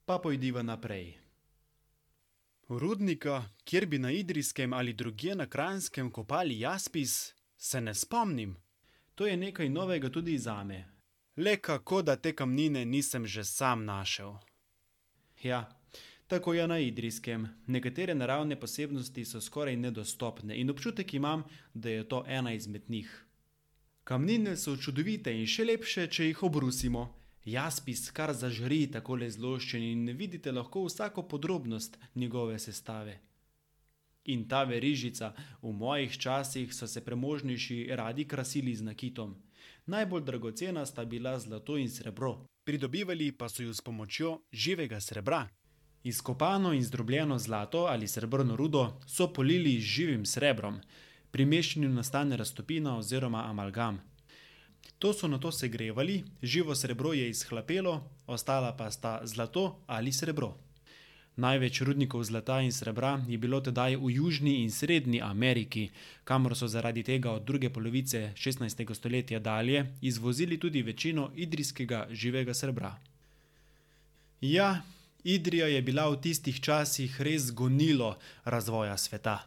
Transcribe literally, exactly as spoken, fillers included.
Pa pojdiva naprej. Rudnika, kjer bi na Idrijskem ali drugje na Kranjskem kopali jaspis, se ne spomnim. To je nekaj novega tudi zame. Le kako, da te kamnine nisem že sam našel. Ja, tako je na Idrijskem. Nekatere naravne posebnosti so skoraj nedostopne in občutek imam, da je to ena izmed njih. Kamnine so čudovite in še lepše, če jih obrusimo. Jaspis kar zažari takole zloščen in vidite lahko vsako podrobnost njegove sestave. In ta verižica, v mojih časih so se premožnejši radi krasili z nakitom. Najbolj dragocena sta bila zlato in srebro. Pridobivali pa so ju s pomočjo živega srebra. Izkopano in zdrobljeno zlato ali srebrno rudo so polili z živim srebrom. Pri mešanju nastane raztopina oziroma amalgam. To so nato segrevali, živo srebro je izhlapelo, ostala pa sta zlato ali srebro. Največ rudnikov zlata in srebra je bilo tedaj v Južni in Srednji Ameriki, kamor so zaradi tega od druge polovice šestnajstega stoletja dalje izvozili tudi večino idrijskega živega srebra. Ja, Idrija je bila v tistih časih res gonilo razvoja sveta.